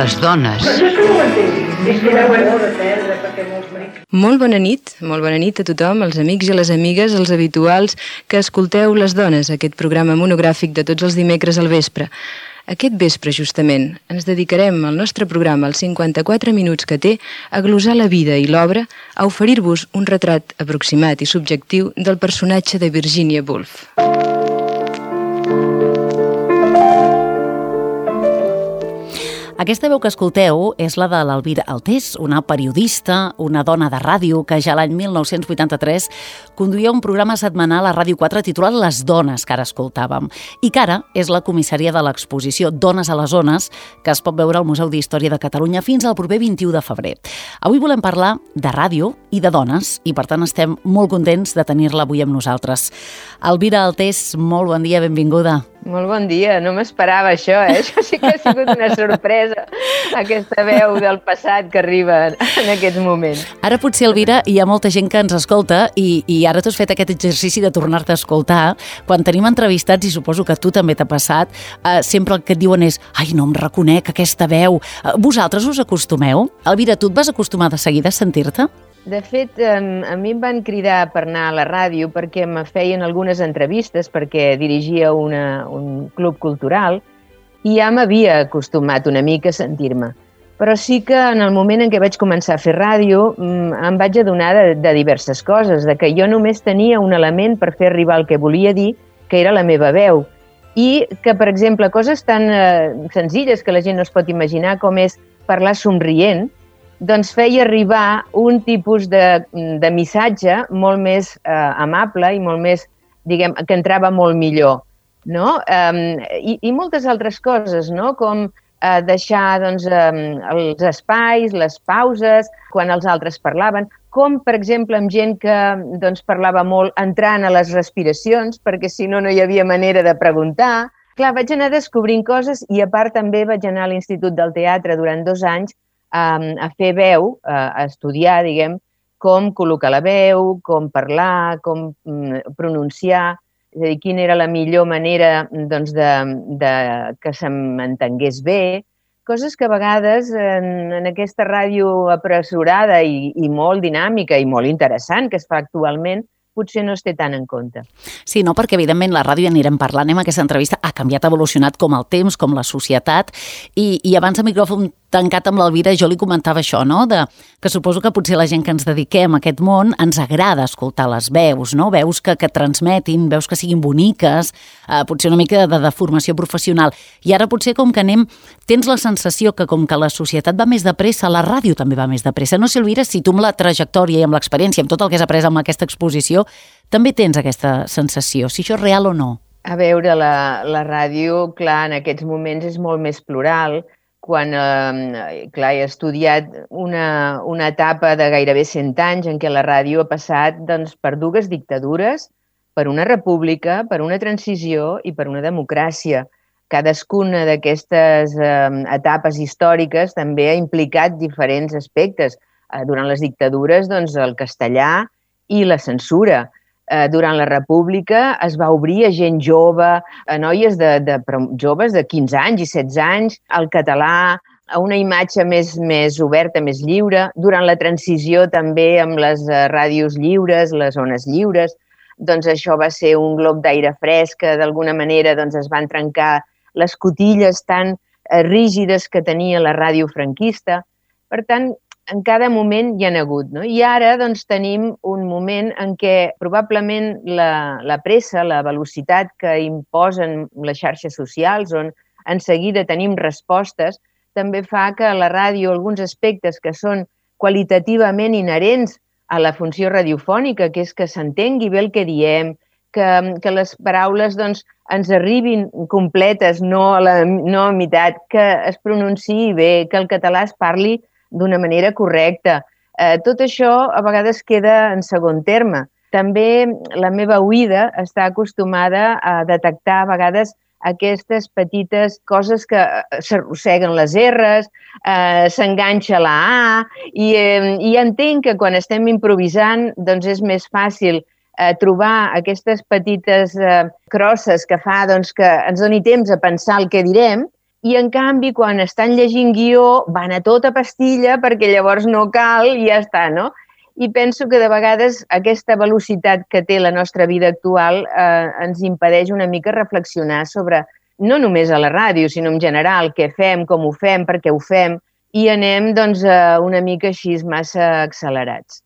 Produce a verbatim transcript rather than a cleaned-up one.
les dones. Molt bona nit, molt bona nit a tothom, els amics i les amigues, els habituals que escolteu Les Dones, aquest programa monogràfic de tots els dimecres al vespre. Aquest vespre, justament, ens dedicarem al nostre programa, els cinquanta-quatre minuts que té, a glosar la vida i l'obra, a oferir-vos un retrat aproximat i subjectiu del personatge de Virginia Woolf. Aquesta veu que escolteu és la de l'Elvira Altés, una periodista, una dona de ràdio que ja l'any mil nou-cents vuitanta-tres conduïa un programa setmanal a Ràdio quatre titulat Les Dones, que ara escoltàvem, i que ara és la comissària de l'exposició Dones a les Zones, que es pot veure al Museu d'Història de Catalunya fins al proper vint-i-u de febrer. Avui volem parlar de ràdio i de dones, i per tant estem molt contents de tenir-la avui amb nosaltres. Elvira Altés, molt bon dia, benvinguda. Molt bon dia, no m'esperava això, eh? Això sí que ha sigut una sorpresa, aquesta veu del passat que arriba en aquests moments. Ara potser, Elvira, hi ha molta gent que ens escolta i, i ara tu has fet aquest exercici de tornar-te a escoltar. Quan tenim entrevistats, i suposo que a tu també t'ha passat, eh, sempre el que et diuen és «Ai, no em reconec aquesta veu». Eh, vosaltres us acostumeu? Elvira, tu et vas acostumar de seguida a sentir-te? De fet, a mi em van cridar per anar a la ràdio perquè me feien algunes entrevistes, perquè dirigia una, un club cultural, i ja m'havia acostumat una mica a sentir-me. Però sí que en el moment en què vaig començar a fer ràdio em vaig adonar de, de diverses coses, de que jo només tenia un element per fer arribar el que volia dir, que era la meva veu. I que, per exemple, coses tan eh, senzilles que la gent no es pot imaginar, com és parlar somrient, doncs feia arribar un tipus de, de missatge molt més eh, amable i molt més, diguem, que entrava molt millor, no? Um, i, I moltes altres coses, no? Com eh, deixar doncs, um, els espais, les pauses, quan els altres parlaven, com, per exemple, amb gent que doncs, parlava molt entrant a les respiracions, perquè si no, no hi havia manera de preguntar. Clar, vaig anar descobrint coses i, a part, també vaig anar a l'Institut del Teatre durant dos anys a fer veu, a estudiar, diguem, com col·locar la veu, com parlar, com pronunciar, és a dir, quina era la millor manera doncs, de, de que se m'entengués bé, coses que a vegades en, en aquesta ràdio apressurada i, i molt dinàmica i molt interessant que es fa actualment, potser no es té tant en compte. Sí, no, perquè evidentment la ràdio anirem parlant, amb aquesta entrevista ha canviat, ha evolucionat com el temps, com la societat, i, i abans de micròfon tancat amb l'Elvira jo li comentava això, no? De, que suposo que potser la gent que ens dediquem a aquest món ens agrada escoltar les veus, no? Veus que, que transmetin, veus que siguin boniques, eh, potser una mica de, de formació professional. I ara potser com que anem, tens la sensació que com que la societat va més de pressa, la ràdio també va més de pressa. No sé, Elvira, si tu amb la trajectòria i amb l'experiència, amb tot el que has après amb aquesta exposició, també tens aquesta sensació, si això és real o no? A veure, la, la ràdio, clar, en aquests moments és molt més plural. Quan, eh, clar, he estudiat una, una etapa de gairebé cent anys en què la ràdio ha passat doncs, per dues dictadures, per una república, per una transició i per una democràcia. Cadascuna d'aquestes eh, etapes històriques també ha implicat diferents aspectes. Eh, durant les dictadures, doncs, el castellà i la censura. Eh, durant la república es va obrir a gent jove, a noies de, de, joves de quinze anys i setze anys, al català, a una imatge més, més oberta, més lliure. Durant la transició també amb les ràdios lliures, les ones lliures, doncs això va ser un glob d'aire fresc que d'alguna manera doncs, es van trencar les cotilles tan eh, rígides que tenia la ràdio franquista. Per tant, en cada moment hi ha hagut, no? I ara doncs, tenim un moment en què probablement la, la pressa, la velocitat que imposen les xarxes socials, on en seguida tenim respostes, també fa que la ràdio, alguns aspectes que són qualitativament inherents a la funció radiofònica, que és que s'entengui bé el que diem, que, que les paraules doncs, ens arribin completes, no a la no a meitat, que es pronunciï bé, que el català es parli d'una manera correcta. Eh, tot això a vegades queda en segon terme. També la meva oïda està acostumada a detectar a vegades aquestes petites coses que s'arrosseguen les erres, eh, s'enganxa la A, i, eh, i entenc que quan estem improvisant doncs és més fàcil eh, trobar aquestes petites eh, crosses que fa doncs, que ens doni temps a pensar el que direm, i en canvi quan estan llegint guió van a tota pastilla perquè llavors no cal i ja està, no? I penso que de vegades aquesta velocitat que té la nostra vida actual eh, ens impedeix una mica reflexionar sobre, no només a la ràdio, sinó en general, què fem, com ho fem, per què ho fem, i anem doncs, una mica així massa accelerats.